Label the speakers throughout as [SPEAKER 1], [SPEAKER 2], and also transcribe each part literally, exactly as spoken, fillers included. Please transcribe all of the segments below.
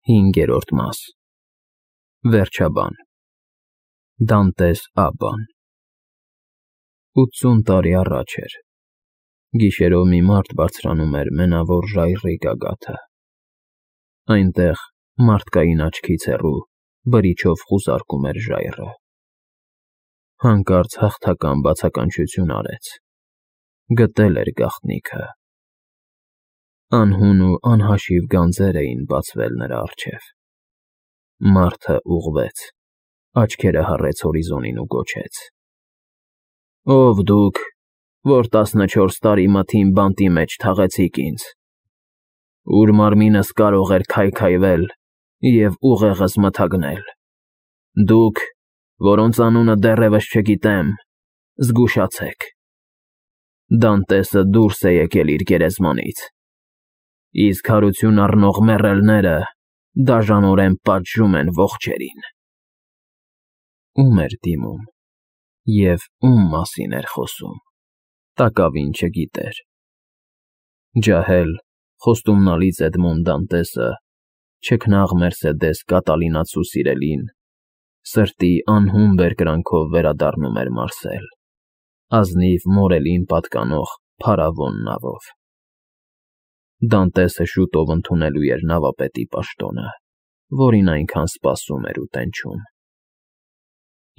[SPEAKER 1] Հինգերորդ մաս Վերջաբան Դանտես Աբբան Ութսուն տարի առաջ էր։ Գիշերով մի մարդ բարձրանում էր Մենավոր ժայռի գագաթը։ Այնտեղ, մարդկային աչքից հեռու, բրիչով խուզարկում էր ժայռը։ Հանկարծ հաղթական բացականչություն արեց։ Գտել էր գաղտնիքը։ Անհուն ու անհաշիվ գանձեր էին բացվել նրա առջև։ Մարդը ուղղվեց, աչքերը հառեց հորիզոնին ու գոչեց. «Ո՞վ դուք, որ տասնչորս տարի մթին բանտի մեջ թաղեցիք ինձ, ուր մարմինս կարող էր քայքայվել և ուղեղս մթագնել, դուք, որոնց անունը դեռևս չգիտեմ, զգուշացեք. Դանտեսը դուրս է եկել իր գերեզմանից, իսկ հարություն առնող մեռելները դաժանորեն պատժում են ողջերին»։ Ո՞ւմ էր դիմում և ո՞ւմ մասին էր խոսում, տակավին չգիտեր։ Ջահել, խոստումնալից Էդմոն Դանտեսը, չքնաղ Մերսեդես Կատալինացու սիրելին, սրտի անհուն բերկրանքով վերադառնում էր Մարսել, ազնիվ Մորելին պատկանող փարավոն նավով։ Դանտեսը շուտով ընդունելու էր նավապետի պաշտոնը, որին այնքան սպասում էր ու տենչում։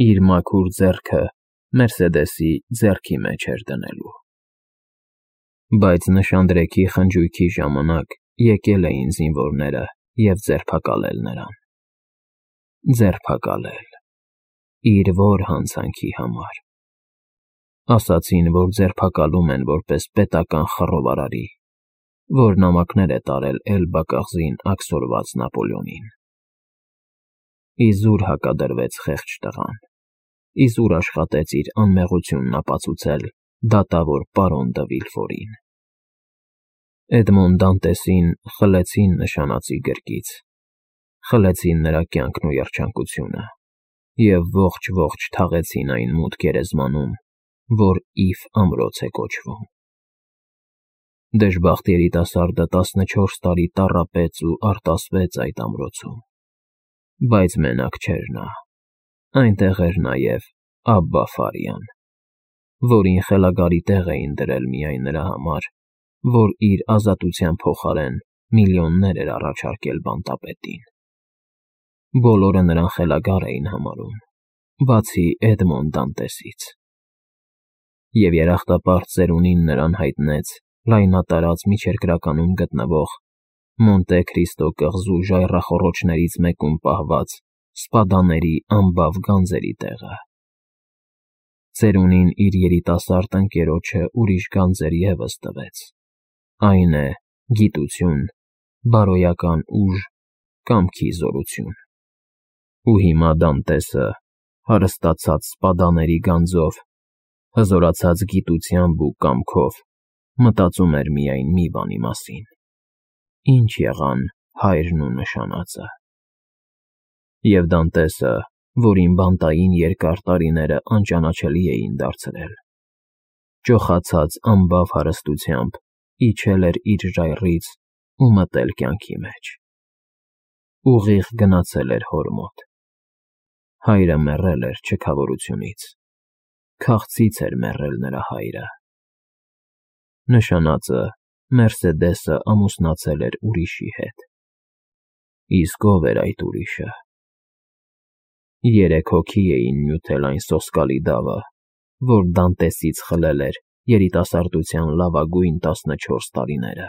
[SPEAKER 1] Իր մաքուր ձեռքը Մերսեդեսի ձեռքի մեջ էր դնելու։ Բայց նշանдрեքի խնջույքի ժամանակ եկել էին զինվորները և ձերբակալել նրան։ Ձերբակալել… իր ո՞ր հանցանքի համար։ Ասացին, որ ձերբակալում են որպես պետական խռովարարի, որ նամակներ է տարել Էլբա կղզին աքսորված Նապոլեոնին։ Իզուր հակադրվեց խեղճ տղան, իզուր աշխատեց իր անմեղությունն ապացուցել դատավոր պարոն Դը Վիլֆորին։ Էդմոն Դանտեսին խլեցին նշանածի գրկից, խլեցին նրա կյանքն ու երջանկությունը և ողջ֊ողջ թաղեցին այն մութ գերեզմանում, որ Իֆ ամրոց է կոչվում։ Դժբախտ երիտասարդը տասնչորս տարի տառապեց ու արտասվեց այդ ամրոցում, բայց մենակ չէր նա, այնտեղ էր նաև Աբբա Ֆարիան, որին խելագարի տեղ էին դրել միայն նրա համար, որ իր ազատության փոխարեն միլիոններ էր առաջարկել բանտապետին։ Բոլորը նրան խելագար էին համարում, բացի Էդմոն Դանտեսից։ Եվ երախտապարտ ծերունին նրան հայտնեց լայնատարած միջերկրականում գտնվող Մոնտե Քրիստո կղզու ժայռախոռոչներից մեկում պահված սպադաների անբավ գանձերի տեղը։ Ծերունին իր երիտասարդ ընկերոջը ուրիշ գանձեր ևս տվեց, այն է՝ գիտություն, բարոյական ուժ, կամքի զորություն։ Ու հիմա Դանտեսը, հարստացած սպադաների գանձով, հզորացած գիտությամբ ու կամքով, մտածում էր միայն մի բանի մասին. ի՞նչ եղան հայրն ու նշանածը։ Եվ Դանտեսը, որին բանտային երկար տարիները անճանաչելի էին դարձրել, ճոխացած անբավ հարստությամբ իջել էր իր ժայռից ու մտել կյանքի մեջ։ Ուղիղ գնացել էր հոր մոտ։ Հայրը մեռել էր չքավորությունից, քաղցից էր մեռել նրա հայրը։ Նշանածը՝ Մերսեդեսը, ամուսնացել էր ուրիշի հետ։ Իսկ ո՞վ էր այդ ուրիշը։ Երեք հոգի էին նյութել այն սոսկալի դավը, որ Դանտեսից խլել էր երիտասարդության լավագույն տասնչորս տարիները։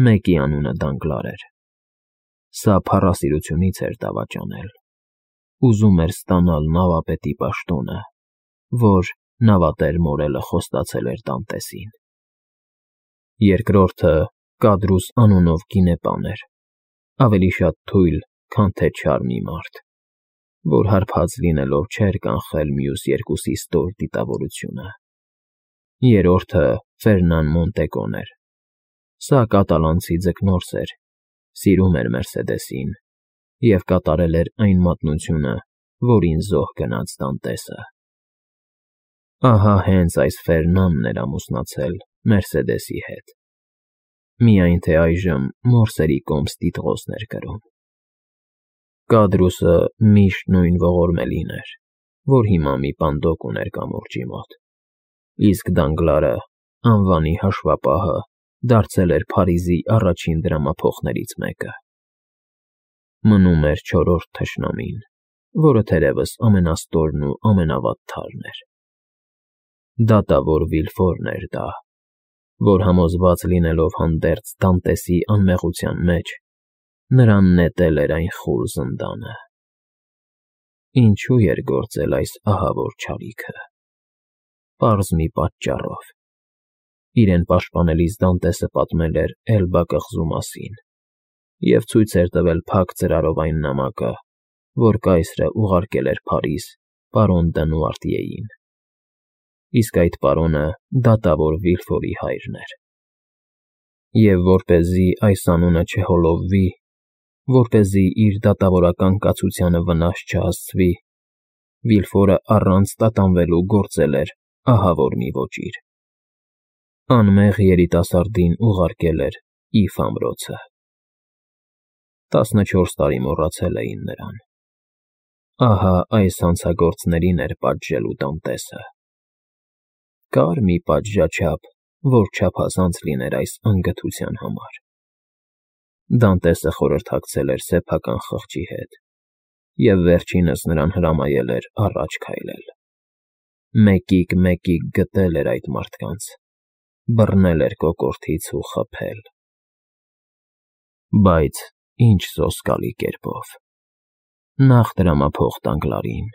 [SPEAKER 1] Մեկի անունը Դանգլար էր։ Սա փառասիրությունից էր դավաճանել։ Ուզում էր ստանալ նավապետի պաշտոնը, որ նավատեր Մորելը խոստացել էր Դանտեսին։ Երկրորդը Կադրուս անունով գինեպան էր, ավելի շատ թույլ, քան թե չար մի մարդ, որ հարբած լինելով չէր կանխել մյուս երկուսի ստոր դիտավորությունը։ Երրորդը Ֆերնան Մոնտեկոն էր։ Սա կատալանցի ձկնորս էր, սիրում էր Մերսեդեսին և կատարել էր այն մատնությունը, որին զոհ գնաց Դանտեսը։ Ահա հենց այս Ֆերնանն էր ամուսնացել Մերսեդեսի հետ։ միայն թե այժմ մորսերի կոմս տիտղոսներ կրում։ Կադրուսը միշտ նույն ողորմելին էր, որ հիմա մի պանդոկ ուներ կամուրջի մոտ, իսկ Դանգլարը, անվանի հաշվապահը, դարձել էր Փարիզի առաջին դրամափոխներից մեկը։ Մնում էր չորրորդ թշնամին, որը թերևս ամենաստորն ու ամենավատթարն էր։ Դատավոր Վիլֆորն էր դա, որ համոզված լինելով հանդերձ Դանտեսի անմեղության մեջ, նրան նետել էր այն խուլ զնդանը։ Ինչու էր գործել այս ահավոր չարիքը։ Պարզ մի պատճառով։ Իրեն պաշտպանելիս Դանտեսը պատմել էր Էլբա կղզու մասին և ցույց էր տվել փակ ծրարով այն նամակը, որ կայսրը ուղարկել էր Փարիզ պարոն Դնուարտիեին, իսկ այդ պարոնը դատավոր Վիլֆորի հայրն էր։ Եվ որպեսզի այս անունը չհոլովվի, որպեսզի իր դատավորական կացությանը վնաս չհասցվի, Վիլֆորը առանց տատանվելու գործել էր ահավոր մի ոճիր։ Անմեղ երիտասարդին ուղարկել էր Իֆ ամրոցը։ Տասնչորս տարի մոռացել էին նրան։ Ահա այս հանցագործներին էր պատժելու Դանտեսը։ Կար մի պատժաչափ, որ չափազանց լիներ այս անգթության համար։ Դանտեսը խորհրդակցել էր սեփական խղճի հետ և վերջինս նրան հրամայել էր առաջ քայլել։ Մեկիկ֊մեկիկ գտել էր այդ մարդկանց, բռնել էր կոկորդից ու խփել։ Բայց ինչ սոսկալի կերպով։ Նախ դրամափոխ Դանգլարին,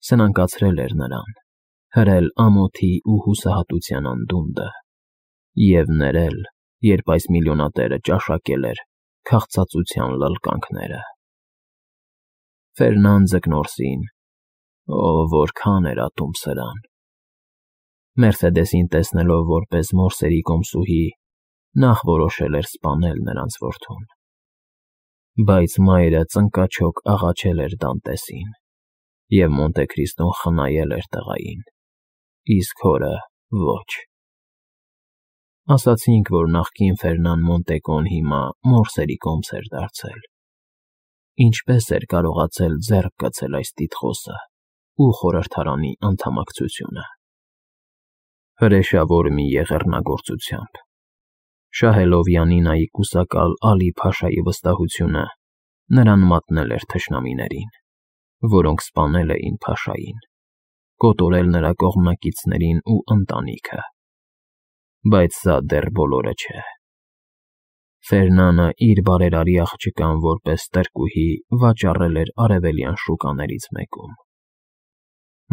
[SPEAKER 1] սնանկացրել էր նրան, հրել ամոթի ու հուսահատության անդունդը և ներել, երբ այս միլիոնատերը ճաշակել էր քաղցածության լլկանքները։ Ֆերնան Ձկնորսին, օ, որքան էր ատում սրան։ Մերսեդեսին տեսնելով որպես մորսերի կոմսուհի, նախ որոշել էր սպանել նրանց որդուն։ Բայց մայրը ծնկաչոք աղաչել էր Դանտեսին, և Մոնտե Քրիստոն խնայել էր տղային, իսկ հորը ոչ։ Ասացինք, որ նախկին Ֆերնան Մոնտեկոն հիմա մորսերի կոմս էր դարձել։ Ինչպես էր կարողացել ձեռք գցել այս տիտղոսը ու խորհրդարանի անդամակցությունը։ Հրեշավոր մի եղեռնագործությամբ։ Շահելով Յանինայի կուսակալ Ալի֊Փաշայի վստահությունը, նրան մատնել էր թշնամիներին, որոնք սպանել էին Փաշային, կոտորել նրա կողմնակիցներին ու ընտանիքը։ Բայց սա դեռ բոլորը չէ։ Ֆերնանը իր բարերարի աղջկան որպես տրկուհի վաճառել էր արևելյան շուկաներից մեկում։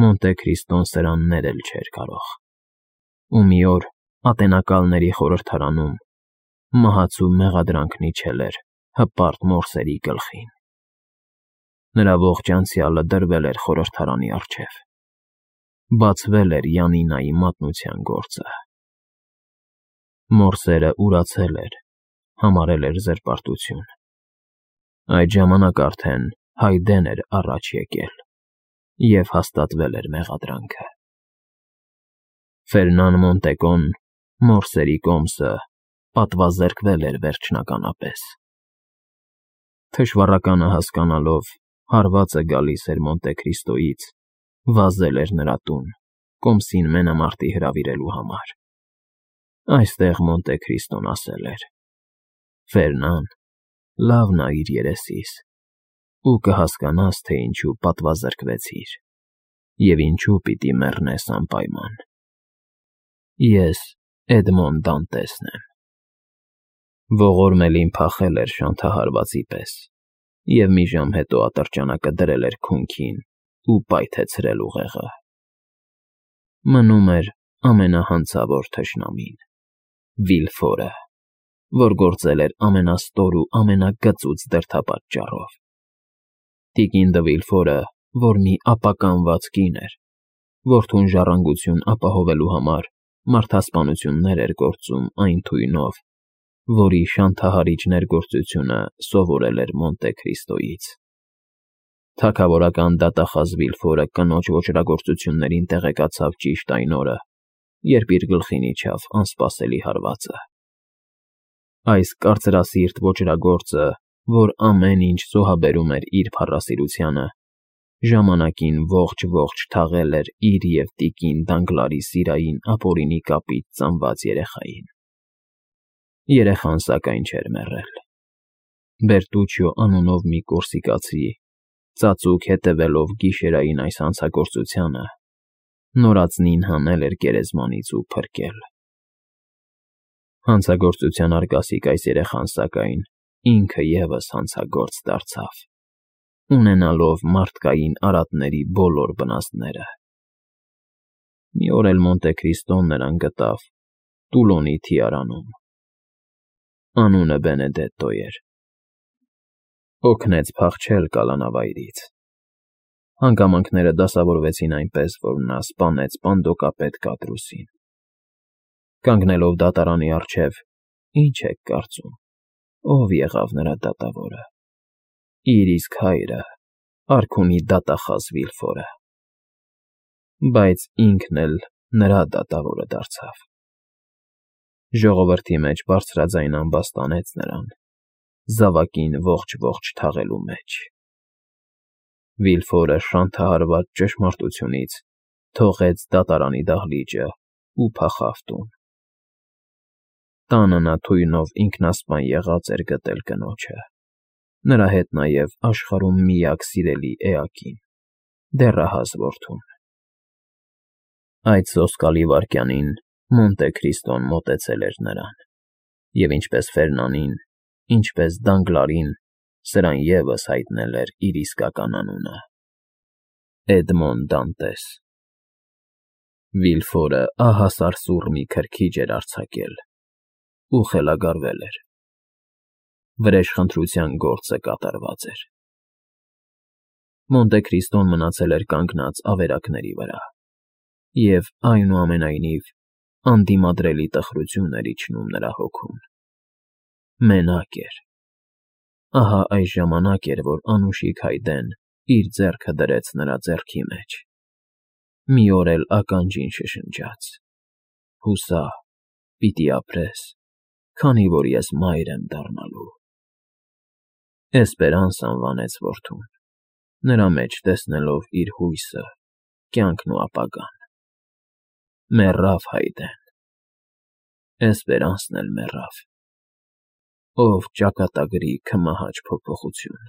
[SPEAKER 1] Մոնտե Քրիստոն սրան ներել չէր կարող։ Ու մի օր Ատենակալների խորհրդարանում մահացու մեղադրանքն իջել էր հպարտ մորսերի գլխին։ Նրա ողջ անցյալը դրվել էր խորհրդարանի առջև։ Բացվել էր Յանինայի մատնության գործը։ Մորսերը ուրացել էր, համարել էր զրպարտություն։ Այդ ժամանակ արդեն Հայդեն էր առաջ եկել և հաստատվել էր մեղադրանքը։ Ֆերնան Մոնտեկոն, մորսերի կոմսը, պատվազրկվել էր վերջնականապես։ Թշվառականը հասկանալով, հարվածը գալիս էր Մոնտե Քրիստոյից, վազել էր նրա տուն, կոմսին մենամարտի հրավիրելու համար։ Այստեղ Մոնտե Քրիստոն ասել էր. «Ֆերնան, լավ նայիր երեսիս, ու կհասկանաս, թե ինչու պատվազրկվեցիր և ինչու պիտի մեռնես անպայման։ Ես Էդմոն Դանտեսն եմ»։ Ողորմելին փախել էր շանթահարվածի պես և մի ժամ հետո ատրճանակը դրել էր քունքին ու պայթեցրել ուղեղը։ Մնում էր ամենահանցավոր թշնամին՝ Վիլֆորը, որ գործել էր ամենաստոր ու ամենագծուծ դրդապատճառով։ Տիկին դը Վիլֆորը, որ մի ապականված կին էր, որդուն ժառանգություն ապահովելու համար մարդասպանություններ էր գործում այն թույնով, որի շանթահարիչ ներգործությունը սովորել էր Մոնտե Քրիստոյից։ Թագավորական դատախազ Վիլֆորը կնոջ ոճրագործություններին տեղեկացավ ճիշտ այն օրը, երբ իր գլխին իջավ անսպասելի հարվածը։ Այս կարծրասիրտ ոճրագործը, որ ամեն ինչ զոհաբերում էր իր փառասիրությանը, ժամանակին ողջ-ողջ թաղել էր իր և տիկին Դանգլարի սիրային ապօրինի կապից ծնված երեխային։ Երեխան սակայն չէր մեռել։ Բերտուչիո անունով մի կորսիկացի, ծածուկ հետևելով գիշերային այս հանցագործությանը, նորածնին հանել էր գերեզմանից ու փրկել։ Հանցագործության արգասիկ այս երեխան, սակայն, ինքը ևս հանցագործ դարձավ, ունենալով մարդկային արատների բոլոր վնասները։ Մի օր էլ Մոնտե Քրիստոն նրան գտավ Տուլոնի թիարանում։ Անունը Բենեդետտո էր։ Օգնեց փախչել կալանավայրից։ Հանգամանքները դասավորվեցին այնպես, որ նա սպանեց պանդոկապետ Կադրուսին։ Կանգնելով դատարանի առջև, ի՞նչ եք կարծում, ով եղավ նրա դատավորը։ Իր իսկ հայրը, արքունի դատախազ Վիլֆորը։ Բայց ինքն էլ նրա դատավորը դարձավ։ Ժողովրդի մեջ բարձրաձայն ամբաստանեց նրան, զավակին ողջ֊ողջ թաղելու մեջ։ Վիլֆորը շանթահարված ճշմարտությունից թողեց դատարանի դահլիճը ու փախավ տուն։ Տանը նա թույնով ինքնասպան եղած էր գտել կնոջը, նրա հետ նաև աշխարհում միակ սիրելի էակին՝ դեռահաս որդուն։ Այդ սոսկալի վայրկյանին Մոնտե Քրիստոն մոտեցել էր նրան, և ինչպես Ֆերնանին, ինչպես Դանգլարին, սրան ևս հայտնել էր իր իսկական անունը՝ Էդմոն Դանտես։ Վիլֆորը ահասարսուռ մի քրքիջ էր արձակել ու խելագարվել էր։ Վրեժխնդրության գործը կատարված էր։ Մոնտե Քրիստոն մնացել էր կանգնած ավերակների վրա, և, այնուամենայնիվ, անդիմադրելի տխրություն էր իջնում նրա հոգուն։ Մենակ էր։ Ահա այս ժամանակ էր, որ անուշիկ հայդեն իր ձեռքը դրեց նրա ձեռքի մեջ։ Մի օր էլ ականջին շշնջաց. «Հուսա, պիտի ապրես, քանի որ ես մայր եմ դառնալու»։ Էսպերանս անվանեց որդուն, նրա մեջ տեսնելով իր հույսը, կյանքն ու ապագան։ Մեռավ հայդեն։ Էսպերանսն էլ մեռավ, ով ճակատագրի քմահաճ փոփոխություն։